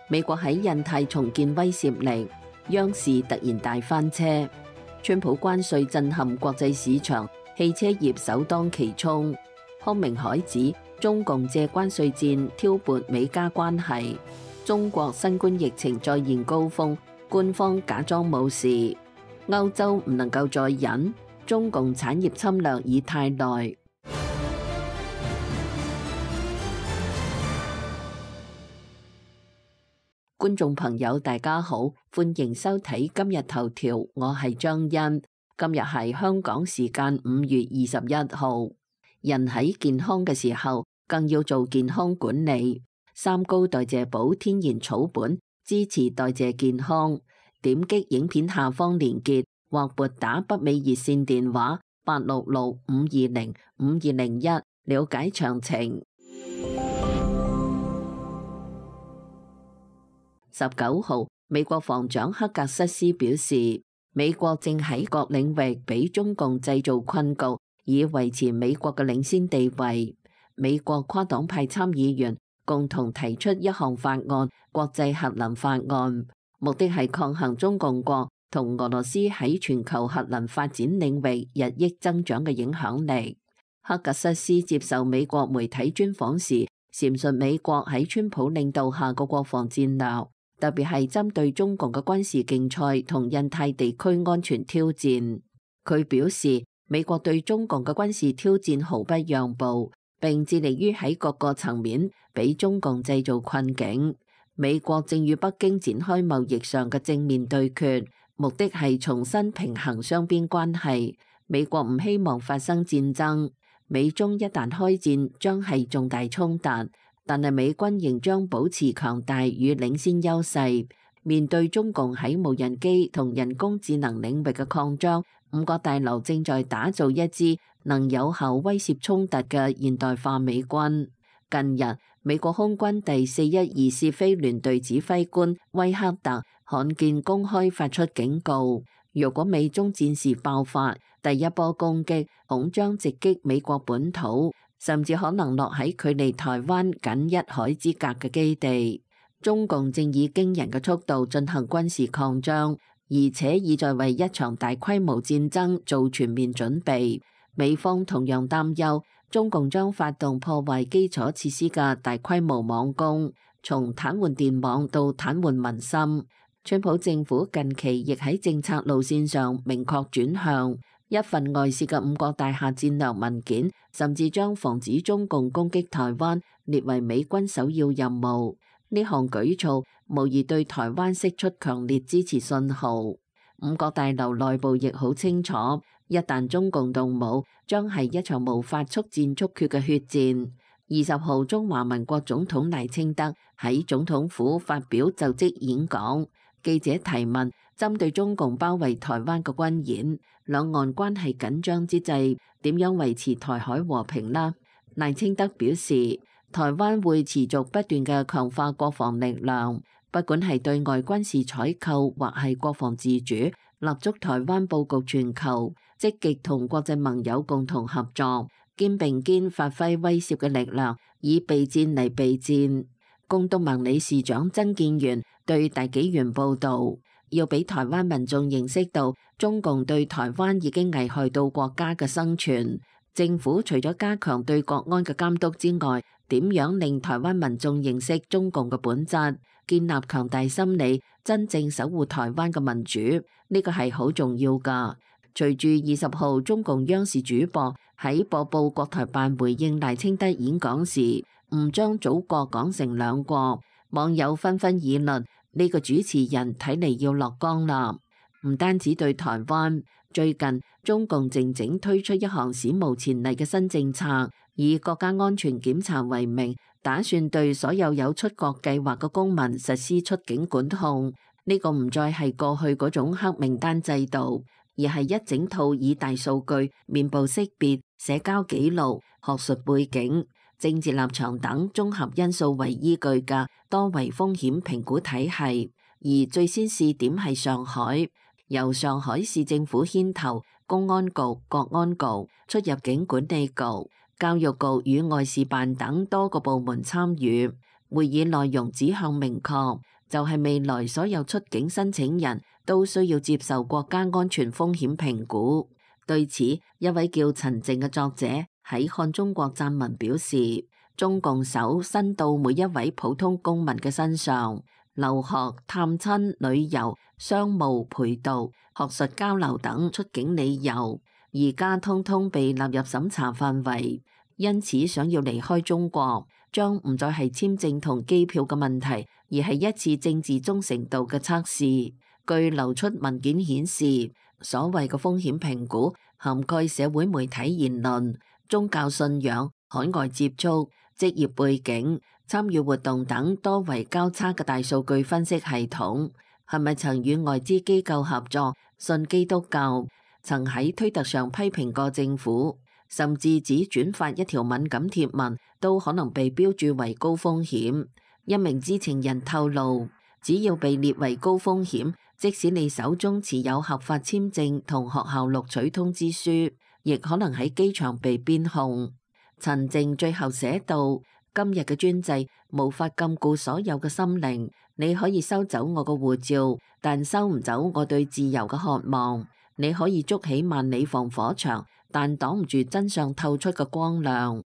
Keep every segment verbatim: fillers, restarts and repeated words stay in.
美國喺印太重建威懾力，央視突然大翻車。川普關稅震撼國際市場，汽車業首當其衝。康明凱指中共借關稅戰挑撥美加關係。中國新冠疫情再現高峰，官方假裝冇事。歐洲唔能夠再忍，中共產業侵略已太耐。觀眾朋友大家好，歡迎收睇今日頭條，我係張欣。今日係香港時間五月二十一號。人喺健康嘅時候，更要做健康管理。三高代謝寶天然草本，支持代謝健康。點擊影片下方連結，或撥打北美熱線電話八六六五二零五二零一了解詳情。十九號，美國防長克格瑟斯表示，美國正喺各領域俾中共製造困局，以維持美國嘅領先地位。美國跨黨派參議員共同提出一項法案，國際核能法案，目的係抗衡中共國同俄羅斯喺全球核能發展領域日益增長嘅影響力。克格瑟斯接受美國媒體專訪時，闡述美國喺川普領導下嘅國防戰略，特別係針對中共嘅軍事競賽同印太地區安全挑戰。佢表示，美國對中共嘅軍事挑戰毫不讓步，並致力於喺各個層面俾中共製造困境。美國正與北京展開貿易上嘅正面對決，目的係重新平衡雙邊關係。美國唔希望發生戰爭，美中一旦開戰將係重大衝突。但係美軍仍將保持強大與領先優勢。面對中共喺無人機同人工智能領域嘅擴張，五角大樓正在打造一支能有效威懾衝突嘅現代化美軍。近日，美國空軍第四一二試飛聯隊指揮官威克特罕見公開發出警告，若果美中戰事爆發，第一波攻擊恐將直擊美國本土，甚至可能落喺距離台灣僅一海之隔嘅基地。中共正以驚人嘅速度進行軍事擴張，而且已在為一場大規模戰爭做全面準備。美方同樣擔憂中共將發動破壞基礎設施嘅大規模網攻，從癱瘓電網到癱瘓民心。川普政府近期亦喺政策路線上明確轉向。一份外泄嘅五角大廈戰略文件，甚至將防止中共攻擊台灣列為美軍首要任務。呢項舉措無疑對台灣釋出強烈支持信號。五角大樓內部亦好清楚，一旦中共動武，將係一場無法速戰速決嘅血戰。二十號，中華民國總統賴清德喺總統府發表就職演講，記者提問，針對中共包圍台灣嘅軍演，兩岸關係緊張之際，點樣維持台海和平呢？賴清德表示，台灣會持續不斷嘅強化國防力量，不管係對外軍事採購或係國防自主，立足台灣佈局全球，積極同國際盟友共同合作，肩並肩發揮威懾嘅力量，以備戰嚟備戰。公東盟理事長曾建元對大紀元報導，要俾台灣民眾認識到中共對台灣已經危害到國家嘅生存。政府除咗加強對國安嘅監督之外，點樣令台灣民眾認識中共嘅本質，建立強大心理，真正守護台灣嘅民主，呢個係好重要㗎。隨住二十號中共央視主播喺播報國台辦回應賴清德演講時，唔將祖國講成兩國，網友紛紛議論呢個主持人睇嚟要落崗啦。唔單止對台灣，最近中共靜靜推出一項史無前例嘅新政策，以國家安全檢查為名，打算對所有有出國計劃嘅公民實施出境管控。呢個唔再係過去嗰種黑名單制度，而係一整套以大數據、面部識別、社交記錄、學術背景、政治立場等綜合因素為依據嘅多維風險評估體系。而最先試點係上海，由上海市政府牽頭，公安局、國安局、出入境管理局、教育局與外事辦等多個部門參與。會議內容指向明確，就係未來所有出境申請人都需要接受國家安全風險評估。對此，一位叫陳靜嘅作者喺看中國撰文表示，中共手伸到每一位普通公民嘅身上，留學、探親、旅遊、商務、陪讀、學術交流等出境理由，而家通通被納入審查範圍。因此，想要離開中國，將唔再係簽證同機票嘅問題，而係一次政治忠誠度嘅測試。據流出文件顯示，所謂嘅風險評估涵蓋社會媒體言論、宗教信仰、海外接觸、職業背景、參與活動等多維交叉嘅大數據分析系統，係咪曾與外資機構合作、信基督教、曾喺推特上批評過政府，甚至只轉發一條敏感貼文都可能被標註為高風險。一名知情人透露，只要被列為高風險，即使你手中持有合法簽證同學校錄取通知書，亦可能喺機場被鞭控。陳靜最後寫道：今日嘅專制無法禁錮所有嘅心靈，你可以收走我嘅護照，但收唔走我對自由嘅渴望。你可以築起萬里防火牆，但擋唔住真相透出嘅光亮。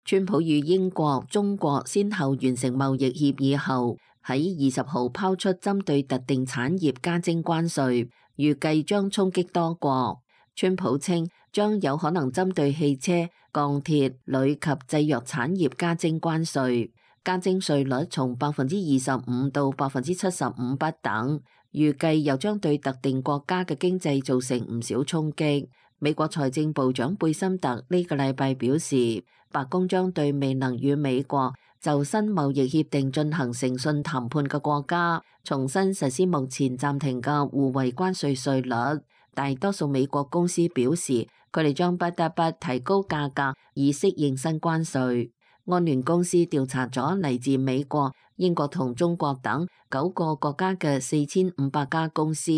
川普與英國、中國先後完成貿易協議後，喺二十號拋出針對特定產業加徵關稅，預計將衝擊多國。川普稱將有可能針對汽車、鋼鐵、鋁及製藥產業加徵關稅，加徵稅率從百分之二十五到百分之七十五不等。預計又將對特定國家嘅經濟造成唔少衝擊。美國財政部長貝森特呢個禮拜表示，白宮將對未能與美國就新貿易協定進行誠信談判嘅國家，重新實施目前暫停嘅互惠關稅稅率。大多數美國公司表示，佢哋將不得不提高價格以適應新關稅。安聯公司調查咗嚟自美國、英國同中國等九個國家嘅四千五百家公司，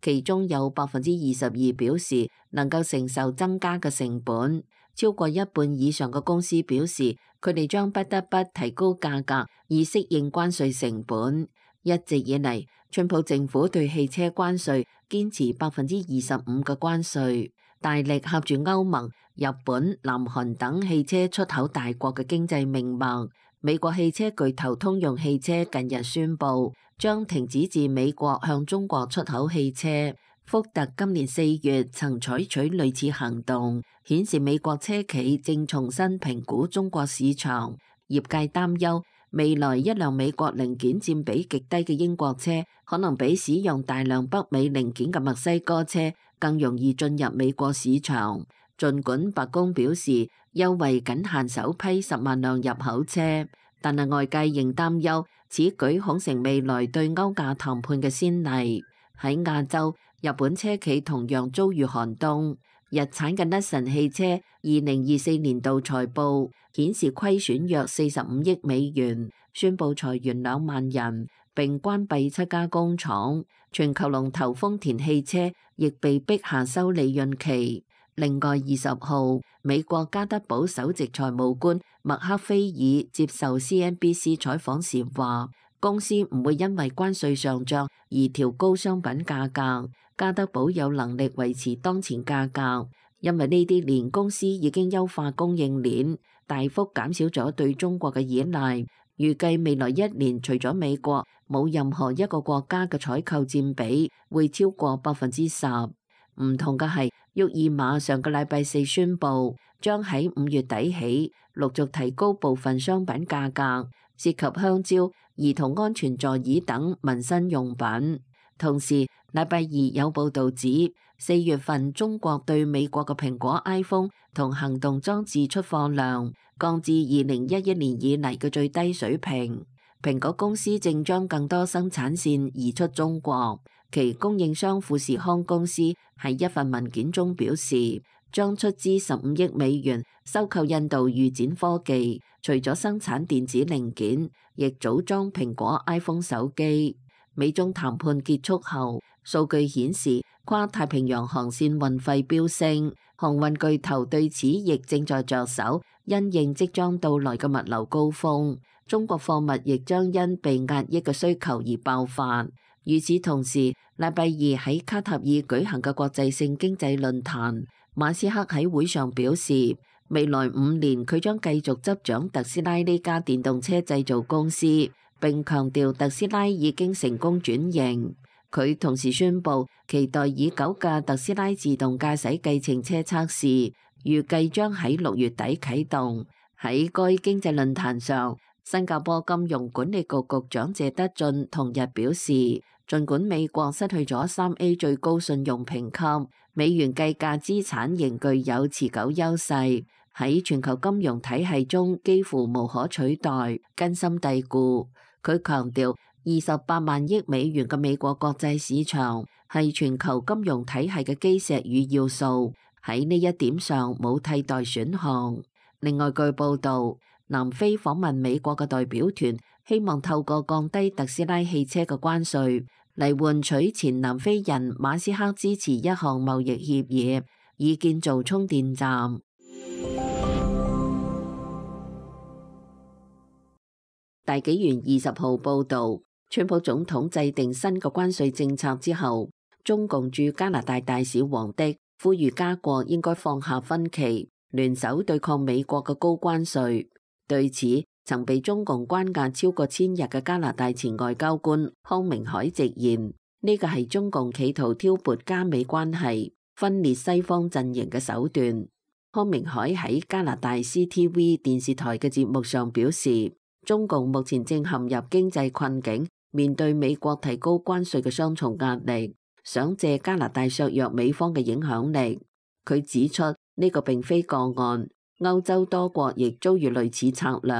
其中有百分之二十二表示能夠承受增加嘅成本。超過一半以上嘅公司表示，佢哋將不得不提高價格以適應關稅成本。一直以嚟，川普政府對汽車關稅堅持百分之二十五嘅關稅，大力合住歐盟、日本、南韓等汽車出口大國嘅經濟命脈。美國汽車巨頭通用汽車近日宣布將停止自美國向中國出口汽車。福特今年四月曾採取類似行動，顯示美國車企正重新評估中國市場。業界擔憂未來一輛美國零件佔比極低嘅英國車，可能比使用大量北美零件嘅墨西哥車更容易進入美國市場。儘管白宮表示優惠僅限首批十萬輛入口車，但係外界仍擔憂此舉恐成未來對歐亞談判嘅先例。喺亞洲，日本車企同樣遭遇寒冬。日產嘅 Nissan 汽車二零二四年度財報顯示虧損約四十五億美元，宣布裁員兩萬人，並關閉七家工廠。全球龍頭豐田汽車亦被逼下收利潤期。另外，二十號，美國加德堡首席財務官麥克菲爾接受 C N B C 採訪時話，公司唔會因為關稅上漲而調高商品價格。加德堡有能力維持當前價格，因為呢啲年公司已經優化供應鏈，大幅減少咗對中國嘅依賴。預計未來一年，除咗美國，冇任何一個國家嘅採購佔比會超過百分之十。唔同嘅係，沃爾瑪上個禮拜四宣布，將喺五月底起陸續提高部分商品價格，涉及香蕉、兒童安全座椅等民生用品。同時，禮拜二有報導指，四月份中國對美國嘅蘋果 iPhone 同行動裝置出貨量降至二零一一年以嚟嘅最低水平。蘋果公司正將更多生產線移出中國。其供應商富士康公司喺一份文件中表示，將出資十五億美元收購印度預展科技，除咗生產電子零件，亦組裝蘋果 iPhone 手機。美中談判結束後，數據顯示跨太平洋航線運費飆升，航運巨頭對此亦正在着手，因應即將到來嘅物流高峰，中國貨物亦將因被壓抑嘅需求而爆發。與此同時，禮拜二喺卡塔爾舉行嘅國際性經濟論壇，馬斯克喺會上表示，未來五年佢將繼續執掌特斯拉呢家電動車製造公司，並強調特斯拉已經成功轉型。佢同時宣布，期待已久嘅特斯拉自動駕駛計程車測試，預計將喺六月底啟動。喺該經濟論壇上，新加坡金融管理局局長謝德俊同日表示，儘管美國失去咗三 A 最高信用評級，美元計價資產仍具有持久優勢，喺全球金融體系中幾乎無可取代，根深蒂固。佢強調，二十八萬億美元嘅美國國際市場係全球金融體系嘅基石與要素，喺呢一點上冇替代選項。另外，據報導，南非訪問美國嘅代表團希望透過降低特斯拉汽車嘅關稅嚟換取前南非人馬斯克支持一項貿易協議，以建造充電站。大紀元二十號報導，川普總統制定新嘅關稅政策之後，中共駐加拿大大使王迪呼籲加國應該放下分歧，聯手對抗美國嘅高關稅。對此，曾被中共關押超過千日嘅加拿大前外交官康明凱直言，呢個係中共企圖挑撥加美關係、分裂西方陣營嘅手段。康明凱喺加拿大 C T V 電視台嘅節目上表示，中共目前正陷入經濟困境，面對美國提高關稅嘅雙重壓力，想借加拿大削弱美方嘅影響力。佢指出，呢個並非個案，歐洲多國亦遭遇類似策略。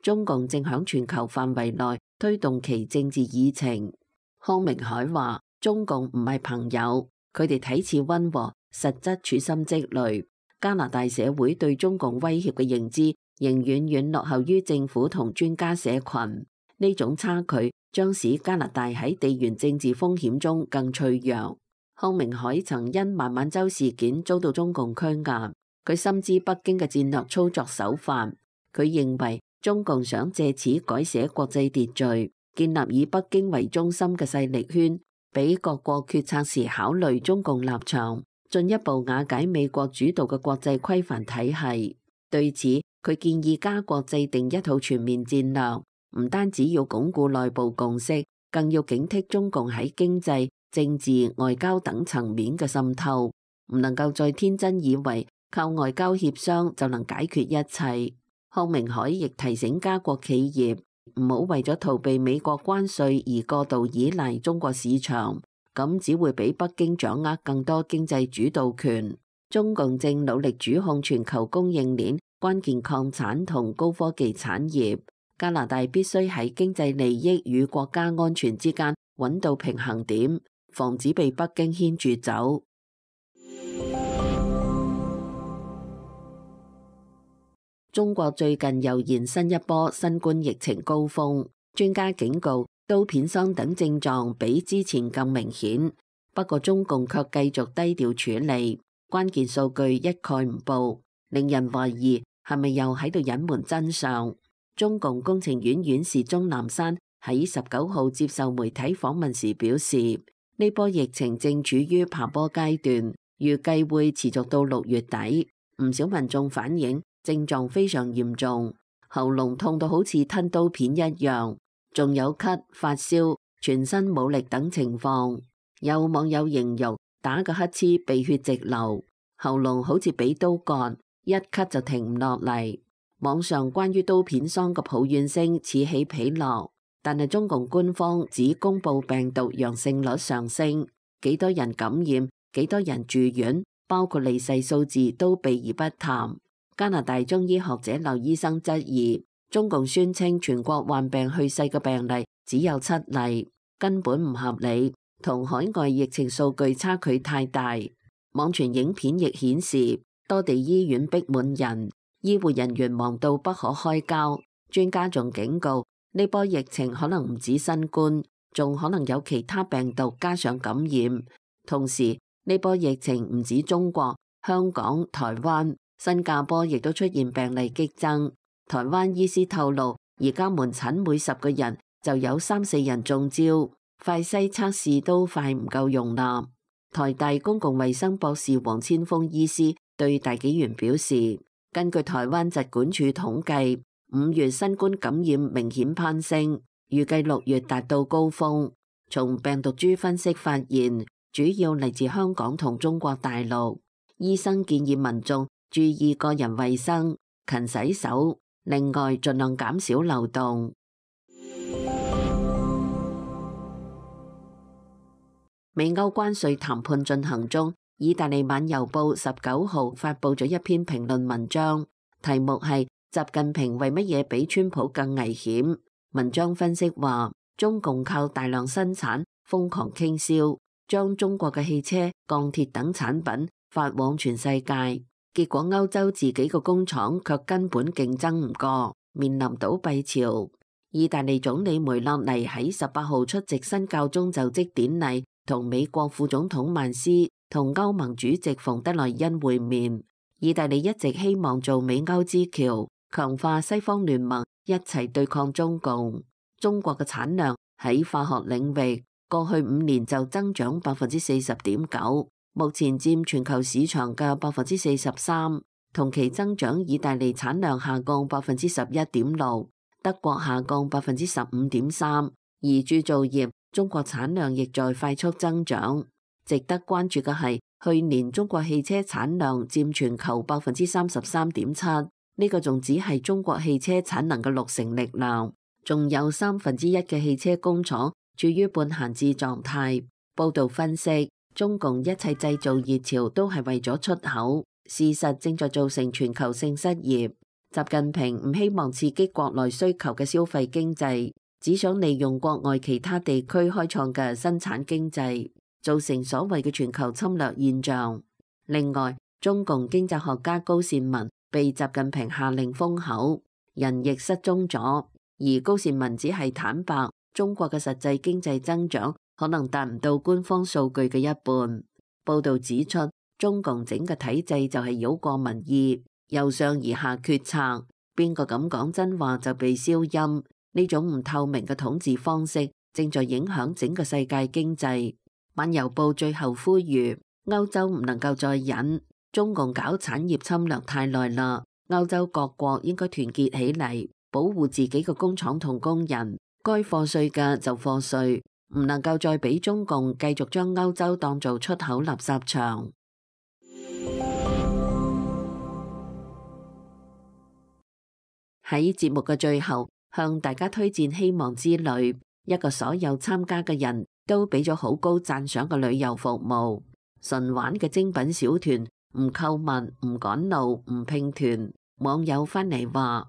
中共正響全球範圍內推動其政治議程。康明凱話，中共唔係朋友，佢哋睇似溫和，實質處心積慮。加拿大社會對中共威脅嘅認知仍遠遠落後於政府同專家社群，呢種差距將使加拿大喺地緣政治風險中更脆弱。康明凱曾因孟晚舟事件遭到中共拘押，佢深知北京嘅戰略操作手法，佢認為中共想借此改寫國際秩序，建立以北京為中心嘅勢力圈，俾各國決策時考慮中共立場，進一步瓦解美國主導嘅國際規範體系。對此，佢建議加國制定一套全面戰略，唔單止要鞏固內部共識，更要警惕中共喺經濟、政治、外交等層面嘅滲透，唔能夠再天真以為靠外交協商就能解決一切。康明凱亦提醒加國企業唔好為咗逃避美國關稅而過度依賴中國市場，咁只會俾北京掌握更多經濟主導權。中共正努力主控全球供應鏈、關鍵礦產同高科技產業。加拿大必須喺經濟利益與國家安全之間揾到平衡點，防止被北京牽住走。中國最近又現新一波新冠疫情高峰，專家警告刀片霜等症狀比之前更明顯，不過中共卻繼續低調處理。關鍵數據一概唔報，令人懷疑係咪又喺度隱瞞真相。中共工程院院士鍾南山喺十九號接受媒體訪問時表示，呢波疫情正處於爬坡階段，預計會持續到六月底。唔少民眾反映症狀非常嚴重，喉嚨痛到好似吞刀片一樣，仲有咳、發燒、全身冇力等情況。有網友形容打個乞嗤鼻血直流，喉嚨好似俾刀割，一咳就停唔落嚟。網上關於刀片霜嘅抱怨聲此起彼落，但係中共官方只公布病毒陽性率上升，幾多人感染、幾多人住院，包括離世數字都避而不談。加拿大中醫學者劉醫生質疑，中共宣稱全國患病去世嘅病例只有七例，根本唔合理，同海外疫情數據差距太大。網傳影片亦顯示多地醫院逼滿人，醫護人員忙到不可開交。專家仲警告，呢波疫情可能唔止新冠，仲可能有其他病毒加上感染。同時呢波疫情唔止中國、香港、台灣、新加坡亦都出現病例激增。台灣醫師透露，而家門診每十個人就有三四人中招，快篩測試都快唔夠用啦。台大公共衛生博士黃千鋒醫師對大紀元表示，根據台灣疾管署統計，五月新冠感染明顯攀升，預計六月達到高峰。從病毒株分析發現，主要嚟自香港同中國大陸。醫生建議民眾注意個人衛生，勤洗手，另外盡量減少流動。美歐關稅談判進行中，意大利晚郵報十九號發佈咗一篇評論文章，題目係習近平為乜嘢比川普更危險？文章分析話，中共靠大量生產瘋狂傾銷，將中國嘅汽車、鋼鐵等產品發往全世界，結果歐洲自己個工廠卻根本競爭唔過，面臨倒閉潮。意大利總理梅洛尼喺十八號出席新教宗就職典禮，同美國副總統曼斯同歐盟主席馮德萊恩會面。意大利一直希望做美歐之橋，強化西方聯盟，一齊對抗中共。中國嘅產量喺化學領域過去五年就增長百分之四十點九，目前佔全球市場嘅百分之四十三。同期增長，意大利產量下降百分之十一點六，德國下降百分之十五點三。而鑄造業，中國產量亦在快速增長。值得關注嘅係，去年中國汽車產量佔全球百分之三十三點七，呢個仲只係中國汽車產能嘅六成力量，仲有三分之一嘅汽車工廠處於半閒置狀態。報道分析，中共一切製造熱潮都係為咗出口，事實正在造成全球性失業。習近平唔希望刺激國內需求嘅消費經濟，只想利用國外其他地區開創嘅生產經濟，造成所謂嘅全球侵略現象。另外，中共經濟學家高善文被習近平下令封口，人亦失蹤咗。而高善文只係坦白，中國嘅實際經濟增長可能達唔到官方數據嘅一半。報道指出，中共整個體制就係繞過民意，由上而下決策，邊個敢講真話就被消音。呢種唔透明嘅統治方式正在影響整個世界經濟。晚郵報最後呼籲，歐洲唔能夠再忍，中共搞產業侵略太耐啦，歐洲各國應該團結起嚟，保護自己嘅工廠同工人，該課稅嘅就課稅，唔能夠再俾中共繼續將歐洲當做出口垃圾場。喺節目嘅最後，向大家推薦希望之旅，一個所有參加嘅人都俾咗好高讚賞嘅旅遊服務。純玩嘅精品小團，唔購物、唔趕路、唔拼團。網友翻嚟話：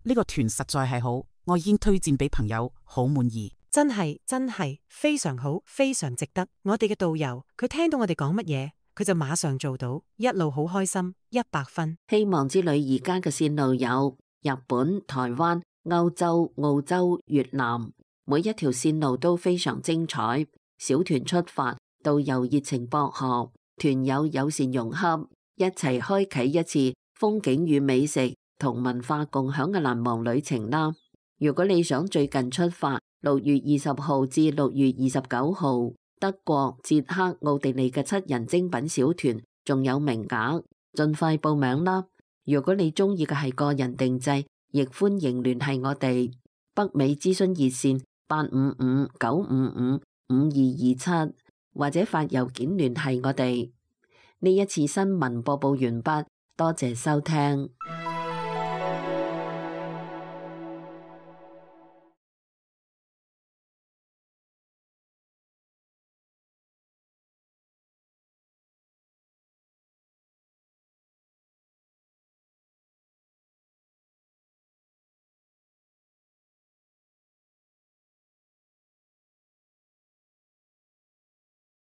呢個團實在係好，我已經推薦俾朋友，好滿意。真係真係非常好，非常值得。我哋嘅導遊，佢聽到我哋講乜嘢，佢就馬上做到，一路好開心，一百分。希望之旅而家嘅線路有日本、台灣、歐洲、澳洲、越南，每一條線路都非常精彩。小團出發，導遊熱情博學，團友友善融洽，一齊開啟一次風景與美食同文化共享嘅難忘旅程啦！如果你想最近出發，六月二十號至六月二十九號，德國、捷克、奧地利嘅七人精品小團仲有名額，盡快報名啦！如果你中意嘅係個人定制，亦歡迎聯繫我哋。北美諮詢熱線八五五九五五五二二七，或者發郵件聯繫我哋。呢一次新聞播報完畢，多謝收聽。